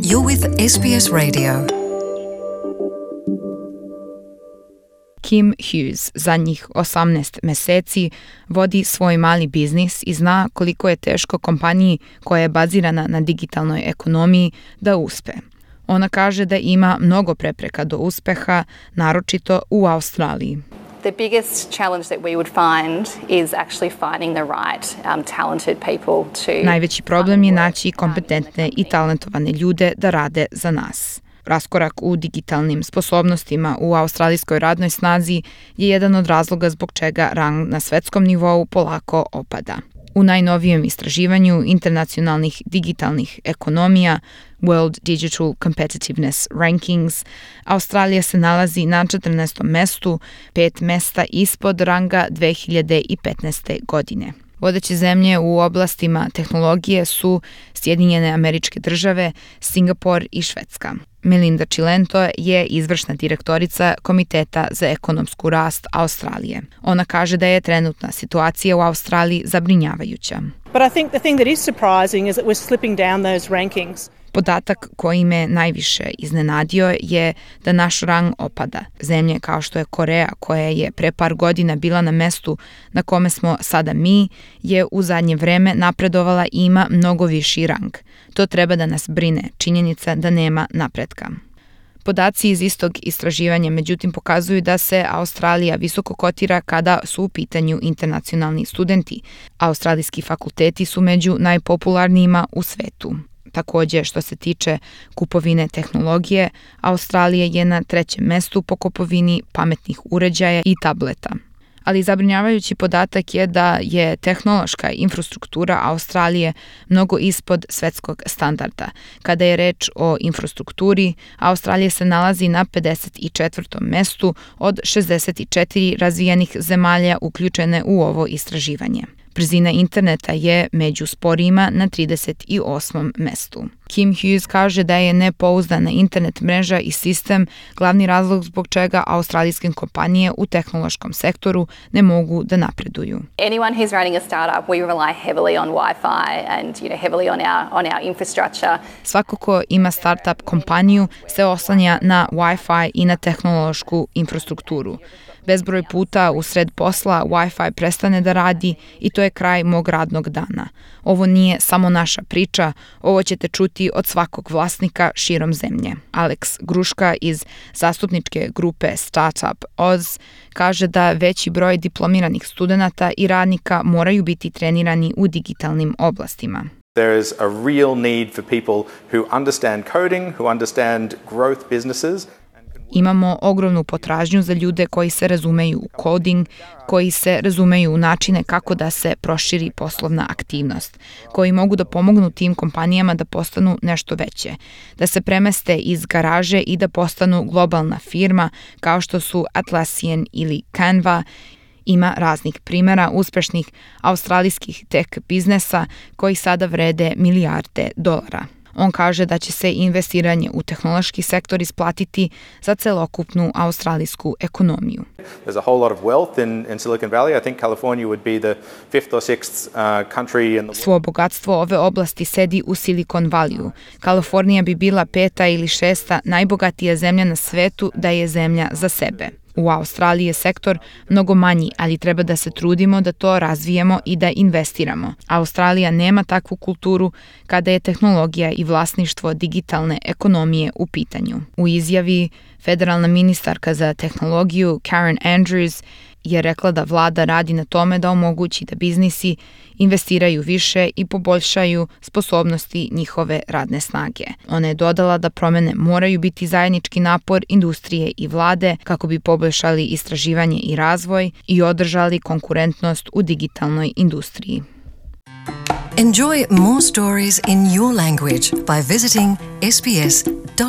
You're with SBS Radio. Kim Hughes zadnjih 18 meseci vodi svoj mali biznis i zna koliko je teško kompaniji koja je bazirana na digitalnoj ekonomiji da uspe. Ona kaže da ima mnogo prepreka do uspeha, naročito u Australiji. The biggest challenge that we would find is actually finding the right talented people to... Najveći problem je naći kompetentne i talentovane ljude da rade za nas. Raskorak u digitalnim sposobnostima u australijskoj radnoj snazi je jedan od razloga zbog čega rang na svetskom nivou polako opada. U najnovijem istraživanju internacionalnih digitalnih ekonomija World Digital Competitiveness Rankings, Australija se nalazi na 14. mestu, 5 mesta ispod ranga 2015. godine. Vodeće zemlje u oblastima tehnologije su Sjedinjene Američke Države, Singapur i Švedska. Melinda Cilento je izvršna direktorica Komiteta za ekonomsku rast Australije. Ona kaže da je trenutna situacija u Australiji zabrinjavajuća. But I think the thing that is surprising is that we're slipping down those rankings. Podatak koji me najviše iznenadio je da naš rang opada. Zemlje kao što je Koreja, koja je pre par godina bila na mestu na kome smo sada mi, je u zadnje vreme napredovala i ima mnogo viši rang. To treba da nas brine, činjenica da nema napretka. Podaci iz istog istraživanja međutim pokazuju da se Australija visoko kotira kada su u pitanju internacionalni studenti. Australijski fakulteti su među najpopularnijima u svetu. Također, što se tiče kupovine tehnologije, Australija je na 3. mestu po kupovini pametnih uređaja i tableta. Ali zabrinjavajući podatak je da je tehnološka infrastruktura Australije mnogo ispod svetskog standarda. Kada je reč o infrastrukturi, Australija se nalazi na 54. mestu od 64 razvijenih zemalja uključene u ovo istraživanje. Brzina interneta je među sporijima na 38. mestu. Kim Hughes kaže da je nepouzdana internet mreža i sistem glavni razlog zbog čega australijske kompanije u tehnološkom sektoru ne mogu da napreduju. Anyone who's running a startup, we rely heavily on Wi-Fi and heavily on our infrastructure. Svako ko ima startup kompaniju se oslanja na Wi-Fi i na tehnološku infrastrukturu. Bezbroj puta u sred posla Wi-Fi prestane da radi i to je kraj mog radnog dana. Ovo nije samo naša priča, ovo ćete čuti od svakog vlasnika širom zemlje. Alex Gruška iz zastupničke grupe Startup Oz kaže da veći broj diplomiranih studenata i radnika moraju biti trenirani u digitalnim oblastima. There is a real need for people who understand coding, who understand growth businesses. Imamo ogromnu potražnju za ljude koji se razumeju u coding, koji se razumeju u načine kako da se proširi poslovna aktivnost, koji mogu da pomognu tim kompanijama da postanu nešto veće, da se premeste iz garaže i da postanu globalna firma kao što su Atlassian ili Canva. Ima raznih primjera uspešnih australijskih tech biznesa koji sada vrede milijarde dolara. On kaže da će se investiranje u tehnološki sektor isplatiti za celokupnu australijsku ekonomiju. There's a whole lot of wealth in Silicon Valley. I think California would be the 5th or 6th country in the world. Svo bogatstvo ove oblasti sedi u Silicon Valleyu. Kalifornija bi bila 5. ili 6. najbogatija zemlja na svetu da je zemlja za sebe. U Australiji je sektor mnogo manji, ali treba da se trudimo da to razvijemo i da investiramo. Australija nema takvu kulturu kada je tehnologija i vlasništvo digitalne ekonomije u pitanju. U izjavi federalna ministarka za tehnologiju Karen Andrews je rekla da vlada radi na tome da omogući da biznisi investiraju više i poboljšaju sposobnosti njihove radne snage. Ona je dodala da promjene moraju biti zajednički napor industrije i vlade kako bi poboljšali istraživanje i razvoj i održali konkurentnost u digitalnoj industriji. Enjoy more stories in your language by visiting sbs.com.au.